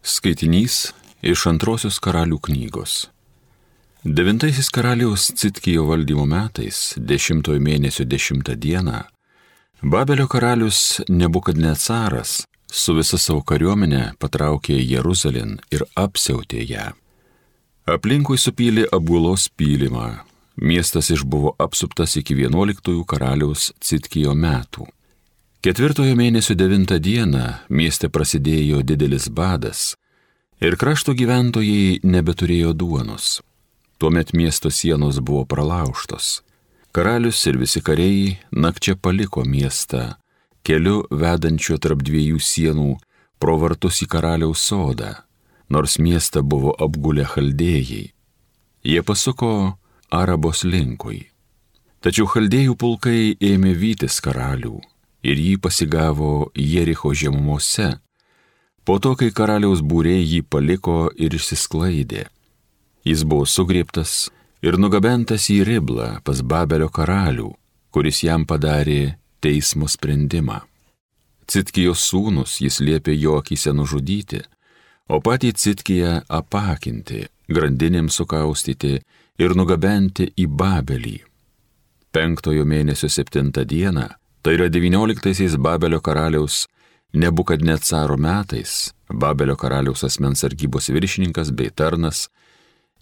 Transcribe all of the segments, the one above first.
Skaitinys iš Antrosios karalių knygos. 9 karaliaus Citkijo valdymo metais, 10 mėnesio 10 dieną, Babelio karalius Nebukadnecaras su visa savo kariuomenė patraukė Jeruzalėn ir apsiautė ją. Aplinkui supylė apgulos pylimą, miestas išbuvo apsuptas iki 11 karaliaus Citkijo metų. 4 mėnesio 9 dieną mieste prasidėjo didelis badas ir krašto gyventojai nebeturėjo duonos. Tuomet miesto sienos buvo pralaužtos. Karalius ir visi kariai nakčia paliko miestą, keliu vedančiu tarp dviejų sienų pro vartus į karaliaus sodą, nors miestą buvo apgulę chaldėjai. Jie pasuko Arabos linkui. Tačiau chaldėjų pulkai ėmė vytis karalių ir jį pasigavo Jericho žemumose, po to, kai karaliaus būriai jį paliko ir išsisklaidė. Jis buvo sugriebtas ir nugabentas į Riblą pas Babelio karalių, kuris jam padarė teismo sprendimą. Citkijos sūnus jis liepė jo akyse nužudyti, o patį Citkiją apakinti, grandinėms sukaustyti ir nugabenti į Babelį. 5 mėnesio 7 dieną, tai yra 19 Babelio karaliaus Nebukadnecaro metais, Babelio karaliaus asmens sargybos viršininkas bei tarnas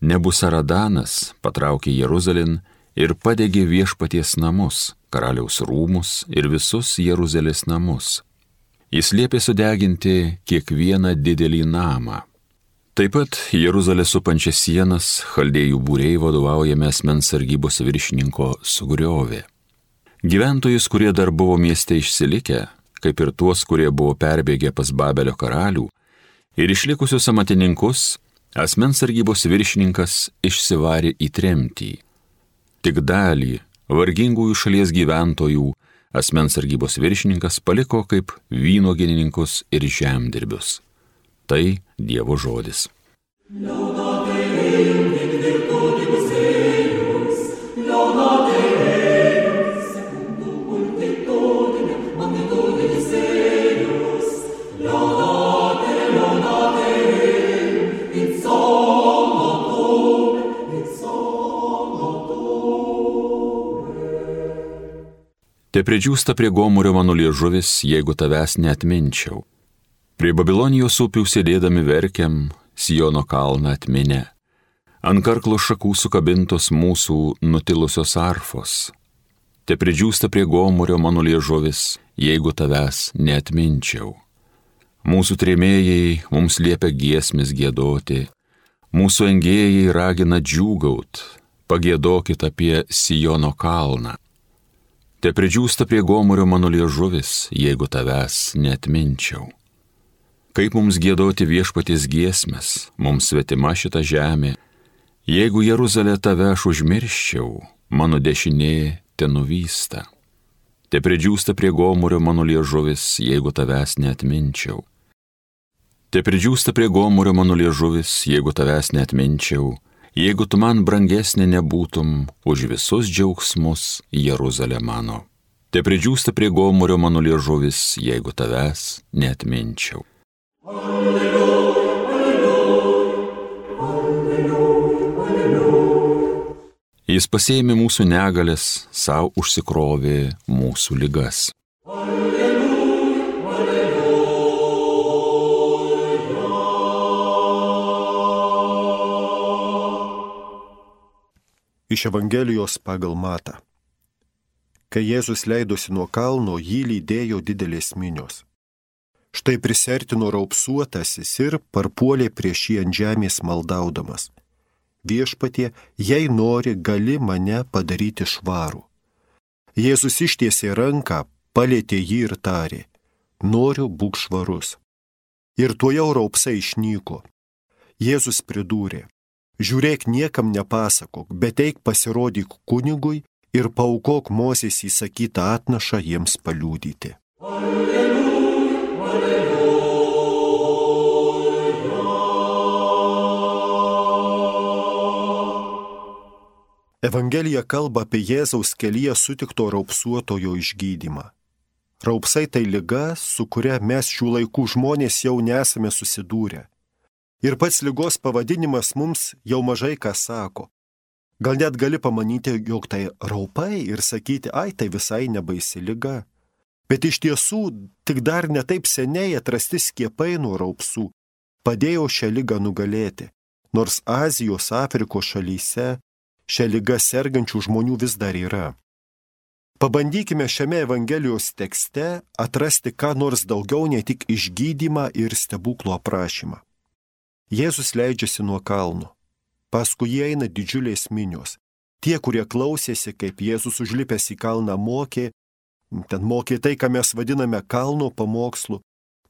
Nebusaradanas patraukė Jeruzalėn ir padegė viešpaties namus, karaliaus rūmus ir visus Jeruzalės namus. Jis liepė sudeginti kiekvieną didelį namą. Taip pat Jeruzalę supančias sienas chaldėjų būriai vadovaujami asmens sargybos viršininko sugriovė. Gyventojus, kurie dar buvo mieste išsilikę, kaip ir tuos, kurie buvo perbėgę pas Babelio karalių, ir išlikusius amatininkus, asmens sargybos viršininkas išsivarė į tremtį. Tik dalį vargingųjų šalies gyventojų asmens sargybos viršininkas paliko kaip vynuogininkus ir žemdirbius. Tai Dievo žodis. Te pridžiūsta prie gomurio mano liežuvis, jeigu tavęs neatminčiau. Prie Babilonijos upių sėdėdami verkiam, Siono kalną atminę. Ant karklo šakų sukabintos mūsų nutilusios arfos. Te pridžiūsta prie gomurio mano liežuvis, jeigu tavęs neatminčiau. Mūsų trėmėjai mums liepia giesmes giedoti, mūsų engėjai ragina džiūgaut, pagiedokit apie Siono kalną. Te pridžiūsta prie gomurio mano liežuvis, jeigu tavęs neatminčiau. Kaip mums giedoti viešpaties giesmes, mums svetima šita žemė, jeigu Jeruzalę tave aš užmirščiau, mano dešinė te nuvysta. Te pridžiūsta prie gomurio mano liežuvis, jeigu tavęs neatminčiau. Te pridžiūsta prie gomurio mano liežuvis, jeigu tavęs neatminčiau, jeigu tu man brangesnė nebūtum už visus džiaugsmus Jeruzalė mano. Te pridžiūsta prie gomurio mano liežuvis, jeigu tavęs neatminčiau. Alleluja, alleluja, alleluja, alleluja. Jis pasėmė mūsų negalės, savo užsikrovė mūsų ligas. Alleluja, alleluja. Iš Evangelijos pagal Matą. Kai Jėzus leidosi nuo kalno, jį lydėjo didelės minios. Štai prisertino raupsuotasis ir parpuolė prieš jį ant žemės maldaudamas. Viešpatie, jei nori, gali mane padaryti švarų. Jėzus ištiesė ranką, palietė jį ir tarė: noriu, būk švarus. Ir tuojau raupsai išnyko. Jėzus pridūrė: žiūrėk, niekam nepasakok, bet eik pasirodyk kunigui ir paaukok Mozės įsakytą atnašą jiems paliudyti. Alleluja, alleluja. Evangelija kalba apie Jėzaus kelyje sutikto raupsuotojo išgydymą. Raupsai tai liga, su kuria mes šių laikų žmonės jau nesame susidūrę. Ir pats ligos pavadinimas mums jau mažai ką sako. Gal net gali pamanyti, jog tai raupai ir sakyti, ai, tai visai nebaisi liga. Bet iš tiesų, tik dar netaip seniai atrasti skiepai nuo raupsų padėjo šią ligą nugalėti, nors Azijos, Afrikos šalyse šią ligą sergančių žmonių vis dar yra. Pabandykime šiame Evangelijos tekste atrasti ką nors daugiau nei tik išgydymą ir stebuklo aprašymą. Jėzus leidžiasi nuo kalno. Paskui jį eina didžiulės minios. Tie, kurie klausėsi, kaip Jėzus užlipęs į kalną mokė, ten mokė tai, ką mes vadiname kalno pamokslu,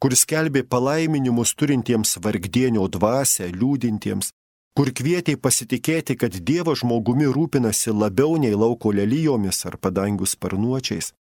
kuris skelbė palaiminimus turintiems vargdienio dvasią, liūdintiems, kur kvietė pasitikėti, kad Dievas žmogumi rūpinasi labiau nei lauko lelijomis ar padangių sparnuočiais.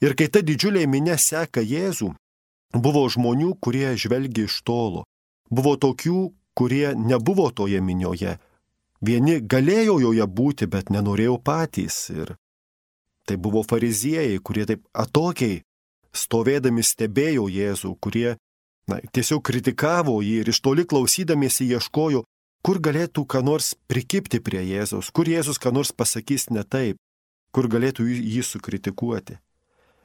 Ir kai ta didžiulė minia seka Jėzų, buvo žmonių, kurie žvelgia iš tolo. Buvo tokių, kurie nebuvo toje minioje. Vieni galėjo joje būti, bet nenorėjo patys. Ir tai buvo fariziejai, kurie taip atokiai stovėdami stebėjo Jėzų, kurie tiesiog kritikavo jį ir iš toli klausydamiesi ieškojo, kur galėtų ką nors prikibti prie Jėzaus, kur Jėzus ką nors pasakys ne taip, kur galėtų jį sukritikuoti.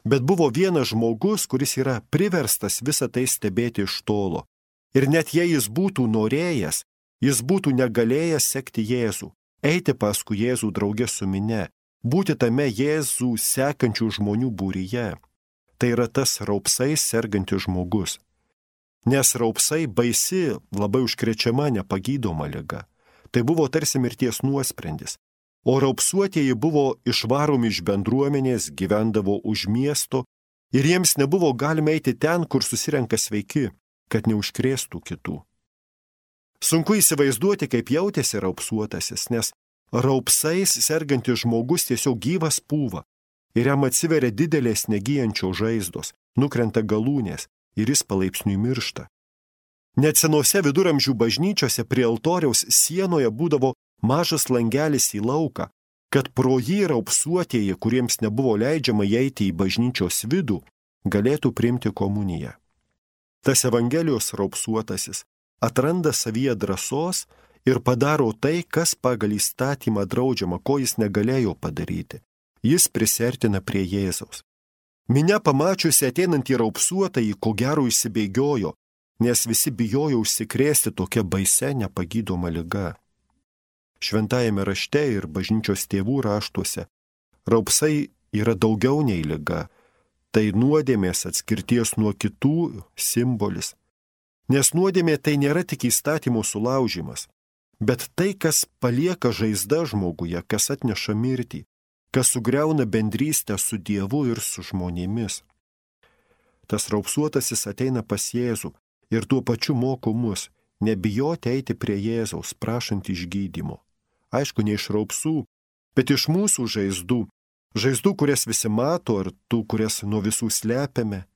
Bet buvo vienas žmogus, kuris yra priverstas visą tai stebėti iš tolo. Ir net jei jis būtų norėjęs, jis būtų negalėjęs sekti Jėzų, eiti paskui Jėzų draugė su mine, būti tame Jėzų sekančių žmonių būryje. Tai yra tas raupsais sergantis žmogus. Nes raupsai baisi, labai užkrečiama, nepagydoma liga. Tai buvo tarsi mirties nuosprendis. O raupsuotieji buvo išvaromi iš bendruomenės, gyvendavo už miesto ir jiems nebuvo galima eiti ten, kur susirenka sveiki, kad neužkrėstų kitų. Sunku įsivaizduoti, kaip jautėsi raupsuotasis, nes raupsais sergantis žmogus tiesiog gyvas pūva ir jam atsiveria didelės negyjančios žaizdos, nukrenta galūnės ir jis palaipsniui miršta. Net senose viduramžių bažnyčiose prie altoriaus sienoje būdavo mažas langelis į lauką, kad pro jį raupsuotieji, kuriems nebuvo leidžiama įeiti į bažnyčios vidų, galėtų priimti komuniją. Tas Evangelijos raupsuotasis atranda savyje drąsos ir padaro tai, kas pagal įstatymą draudžiama, ko jis negalėjo padaryti. Jis prisertina prie Jėzaus. Minia pamačiusi ateinantį raupsuotąjį, ko gero įsibėgiojo, nes visi bijojo užsikrėsti tokia baisia nepagydoma liga. Šventajame rašte ir bažnyčios tėvų raštuose raupsai yra daugiau nei liga. Tai nuodėmės atskirties nuo kitų simbolis. Nes nuodėmė tai nėra tik įstatymo sulaužimas, bet tai, kas palieka žaizdą žmoguje, kas atneša mirtį, kas sugriauna bendrystę su Dievu ir su žmonėmis. Tas raupsuotasis ateina pas Jėzų ir tuo pačiu moko mus nebijoti eiti prie Jėzaus, prašant išgydymo. Aišku, ne iš raupsų, bet iš mūsų žaizdų. Žaizdų, kurias visi mato, ar tų, kurias nuo visų slepiame.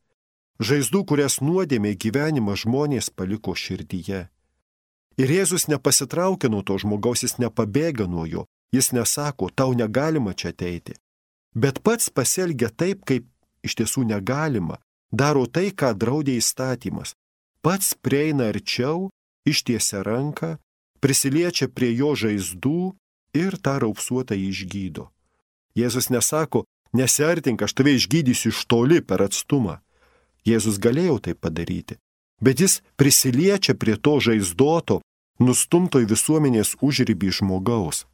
Žaizdų, kurias nuodėmė gyvenimą žmonės paliko širdyje. Ir Jėzus nepasitraukia nuo to žmogaus, jis nepabėga nuo jo, jis nesako, tau negalima čia ateiti. Bet pats pasielgia taip, kaip iš tiesų negalima, daro tai, ką draudė įstatymas. Pats prieina arčiau, ištiesia ranką, prisiliečia prie jo žaizdų ir tą raupsuotą išgydo. Jėzus nesako, nesiartink, aš tave išgydysiu iš toli per atstumą. Jėzus galėjo tai padaryti, bet jis prisiliečia prie to žaizdoto, nustumto į visuomenės užribį žmogaus.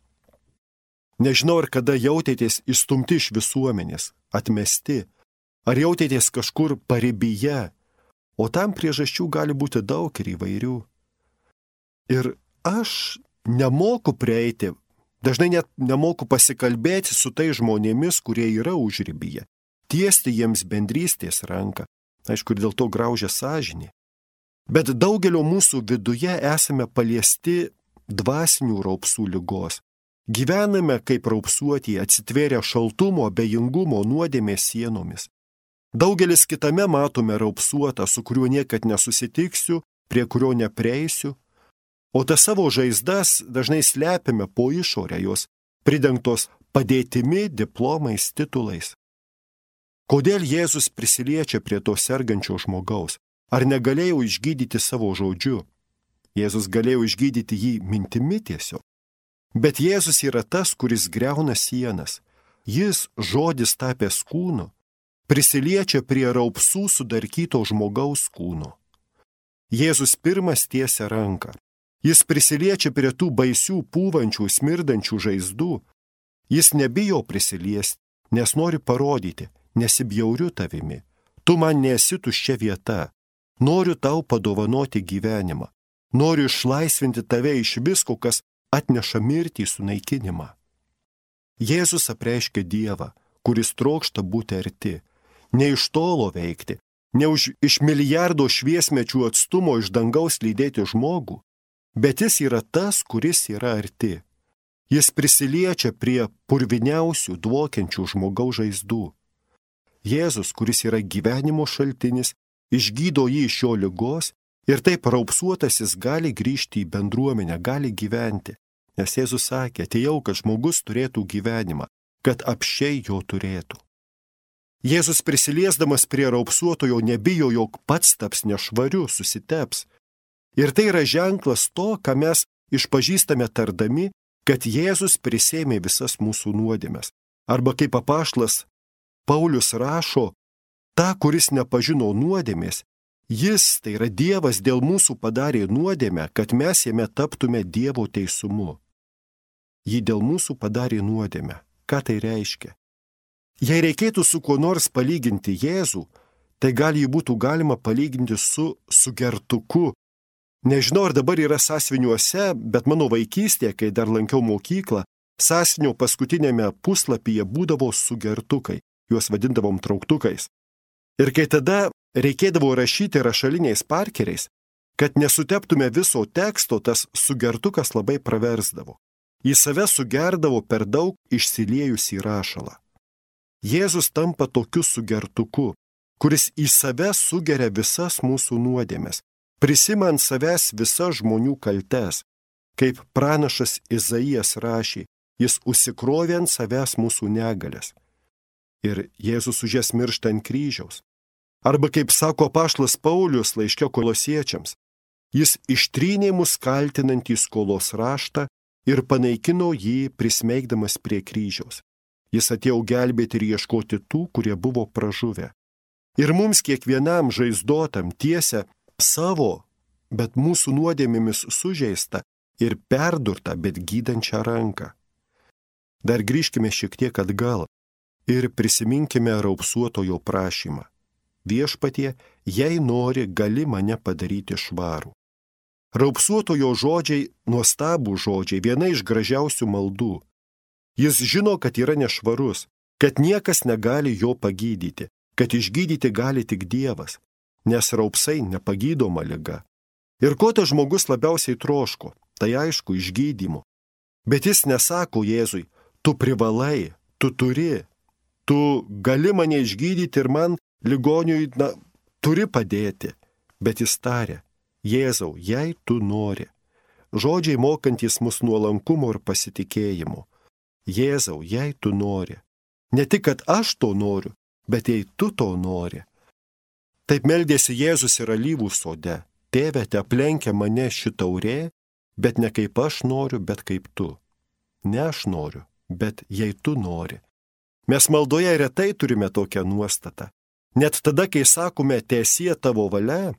Nežinau, ar kada jautėtės išstumti iš visuomenės, atmesti, ar jautėtės kažkur paribyje, o tam priežasčių gali būti daug ir įvairių. Ir aš nemoku prieiti, dažnai net nemoku pasikalbėti su tai žmonėmis, kurie yra užribyje, tiesti jiems bendrystės ranką, aišku, ir dėl to graužia sąžinė. Bet daugelio mūsų viduje esame paliesti dvasinių raupsų ligos. Gyvename kaip raupsuotieji, atsitvėrę šaltumo, abejingumo, nuodėmės sienomis. Daugelis kitame matome raupsuotą, su kuriuo niekad nesusitiksiu, prie kurio neprieisiu, o tas savo žaizdas dažnai slepiame po išorę, jos pridengtos padėtimi, diplomais, titulais. Kodėl Jėzus prisiliečia prie to sergančio žmogaus? Ar negalėjau išgydyti savo žodžiu? Jėzus galėjo išgydyti jį mintimi tiesiog. Bet Jėzus yra tas, kuris greuna sienas. Jis, žodis tapęs kūnu, prisiliečia prie raupsų sudarkyto žmogaus kūno. Jėzus pirmas tiesia ranką. Jis prisiliečia prie tų baisių, pūvančių, smirdančių žaizdų. Jis nebijo prisiliesti, nes nori parodyti, nesibjauriu tavimi. Tu man nesi tuščia vieta. Noriu tau padovanoti gyvenimą. Noriu išlaisvinti tave iš visko, kas atneša mirtį sunaikinimą. Jėzus apreiškia Dievą, kuris trokšta būti arti, ne iš tolo veikti, ne iš milijardo šviesmečių atstumo iš dangaus lydėti žmogų, bet jis yra tas, kuris yra arti. Jis prisiliečia prie purviniausių, dvokiančių žmogaus žaizdų. Jėzus, kuris yra gyvenimo šaltinis, išgydo jį iš jo ligos ir taip raupsuotasis gali grįžti į bendruomenę, gali gyventi. Nes Jėzus sakė, atėjau, kad žmogus turėtų gyvenimą, kad apsčiai jo turėtų. Jėzus prisiliesdamas prie raupsuotojo nebijo, jog pats taps nešvariu, susiteps. Ir tai yra ženklas to, ką mes išpažįstame tardami, kad Jėzus prisėmė visas mūsų nuodėmes. Arba kaip apaštalas Paulius rašo, ta, kuris nepažino nuodėmės, jis, tai yra Dievas, dėl mūsų padarė nuodėmę, kad mes jame taptume Dievo teisumu. Jį dėl mūsų padarė nuodėmę. Ką tai reiškia? Jei reikėtų su kuo nors palyginti Jėzų, tai gal jį būtų galima palyginti su sugertuku. Nežinau, ar dabar yra sąsiuviniuose, bet mano vaikystėje, kai dar lankiau mokyklą, sąsiuvinio paskutinėme puslapyje būdavo sugertukai, juos vadindavom trauktukais. Ir kai tada reikėdavo rašyti rašaliniais parkeriais, kad nesuteptume viso teksto, tas sugertukas labai praversdavo. Į save sugerdavo per daug išsiliejusį rašalą. Jėzus tampa tokiu sugertuku, kuris į save sugeria visas mūsų nuodėmes, prisima ant savęs visas žmonių kaltes, kaip pranašas Izaijas rašė, jis užsikrovė ant savęs mūsų negalės. Ir Jėzus už jas miršta ant kryžiaus. Arba kaip sako apaštalas Paulius laiške Kolosiečiams, jis ištrynė mus kaltinantį skolos raštą ir panaikino jį prismeigdamas prie kryžiaus. Jis atėjo gelbėti ir ieškoti tų, kurie buvo pražuvę. Ir mums kiekvienam žaizdotam tiesia savo, bet mūsų nuodėmėmis sužeista ir perdurta, bet gydančią ranką. Dar grįžkime šiek tiek atgal ir prisiminkime raupsuotojo prašymą. Viešpatie, jei nori, gali mane padaryti švarų. Raupsuotojo žodžiai, nuostabų žodžiai, viena iš gražiausių maldų. Jis žino, kad yra nešvarus, kad niekas negali jo pagydyti, kad išgydyti gali tik Dievas, nes raupsai nepagydoma liga. Ir ko tas žmogus labiausiai troško, tai aišku, išgydymo. Bet jis nesako Jėzui, tu privalai, tu turi, tu gali mane išgydyti ir man ligoniui, turi padėti. Bet jis taria, Jėzau, jei tu nori. Žodžiai mokantys mus nuolankumo ir pasitikėjimo. Jėzau, jei tu nori. Ne tik, kad aš to noriu, bet jei tu to nori. Taip meldėsi Jėzus ir alyvų sode. Tėve, te aplenkia mane ši taurė, bet ne kaip aš noriu, bet kaip tu. Ne aš noriu, bet jei tu nori. Mes maldoje retai turime tokią nuostatą. Net tada, kai sakome, teesie tavo valia,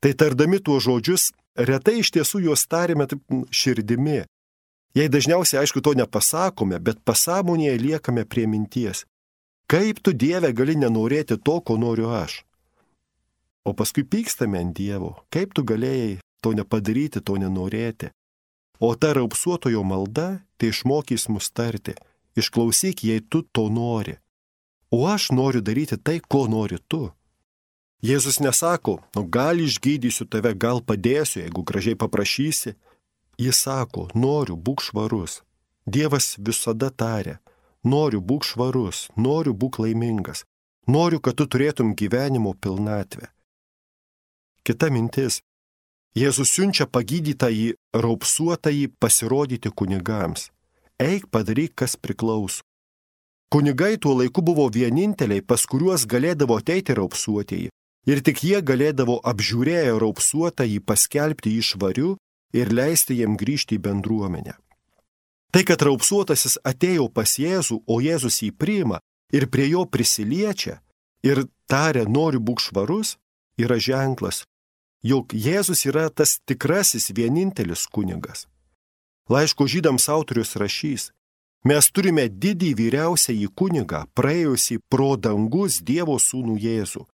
tai tardami tuos žodžius, retai iš tiesų juos tarime taip širdimi. Jei dažniausiai, aišku, to nepasakome, bet pasąmonėje liekame prie minties. Kaip tu, Dieve, gali nenorėti to, ko noriu aš? O paskui pykstame ant Dievo. Kaip tu galėjai to nepadaryti, to nenorėti? O ta raupsuotojo malda, tai išmokys mus tarti. Išklausyk, jei tu to nori. O aš noriu daryti tai, ko nori tu. Jėzus nesako, gal išgydysiu tave, gal padėsiu, jeigu gražiai paprašysi. Jis sako, noriu, būk švarus. Dievas visada taria, noriu, būk švarus, noriu, būk laimingas. Noriu, kad tu turėtum gyvenimo pilnatvę. Kita mintis. Jėzus siunčia pagydytąjį, raupsuotąjį pasirodyti kunigams. Eik, padaryk, kas priklauso. Kunigai tuo laiku buvo vieninteliai, pas kuriuos galėdavo ateiti raupsuotieji. Ir tik jie galėdavo apžiūrėję raupsuotąjį paskelbti jį švariu ir leisti jiem grįžti į bendruomenę. Tai, kad raupsuotasis atėjo pas Jėzų, o Jėzus jį priima ir prie jo prisiliečia ir taria, noriu būk švarus, yra ženklas, jog Jėzus yra tas tikrasis vienintelis kunigas. Laiško Žydams autorius rašys, mes turime didį vyriausiąjį kunigą, praėjusį pro dangus Dievo sūnų Jėzų.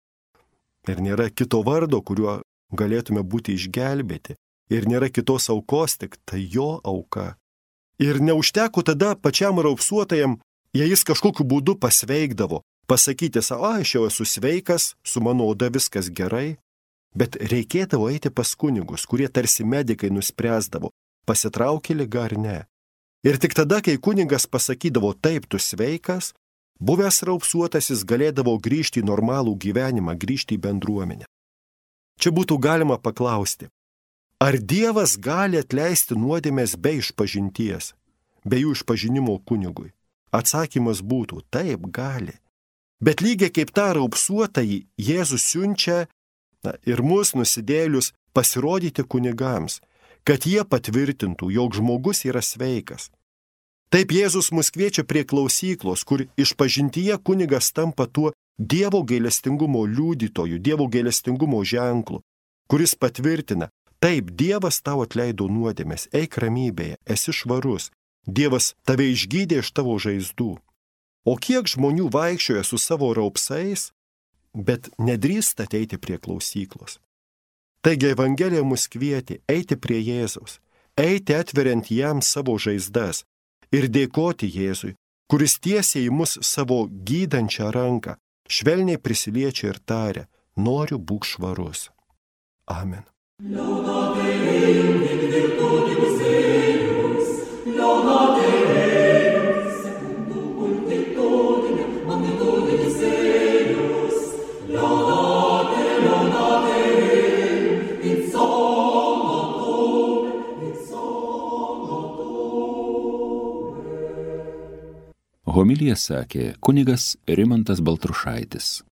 Ir nėra kito vardo, kuriuo galėtume būti išgelbėti. Ir nėra kitos aukos, tik tai jo auka. Ir neužteko tada pačiam raupsuotajam, jei jis kažkokiu būdu pasveikdavo, pasakyti savo, aš jau esu sveikas, su mano oda viskas gerai. Bet reikėdavo eiti pas kunigus, kurie tarsi medikai nuspręsdavo, pasitraukė liga ar ne. Ir tik tada, kai kunigas pasakydavo, taip, tu sveikas, buvęs raupsuotasis galėdavo grįžti į normalų gyvenimą, grįžti į bendruomenę. Čia būtų galima paklausti, ar Dievas gali atleisti nuodėmes be išpažinties, be jų išpažinimo kunigui? Atsakymas būtų, taip, gali. Bet lygiai kaip tą raupsuotąjį Jėzus siunčia ir mus nusidėlius pasirodyti kunigams, kad jie patvirtintų, jog žmogus yra sveikas. Taip Jėzus mus kviečia prie klausyklos, kur išpažintyje kunigas tampa tuo Dievo gailestingumo liudytoju, Dievo gailestingumo ženklu, kuris patvirtina, taip, Dievas tau atleido nuodėmes, eik ramybėje, esi švarus, Dievas tave išgydė iš tavo žaizdų. O kiek žmonių vaikščioja su savo raupsais, bet nedrįsta ateiti prie klausyklos. Taigi Evangelija mus kvietė eiti prie Jėzaus, eiti atveriant jam savo žaizdas ir dėkoti Jėzui, kuris tiesia į mus savo gydančią ranką, švelniai prisiliečia ir taria, noriu būk švarus. Amen. Homiliją sakė kunigas Rimantas Baltrušaitis.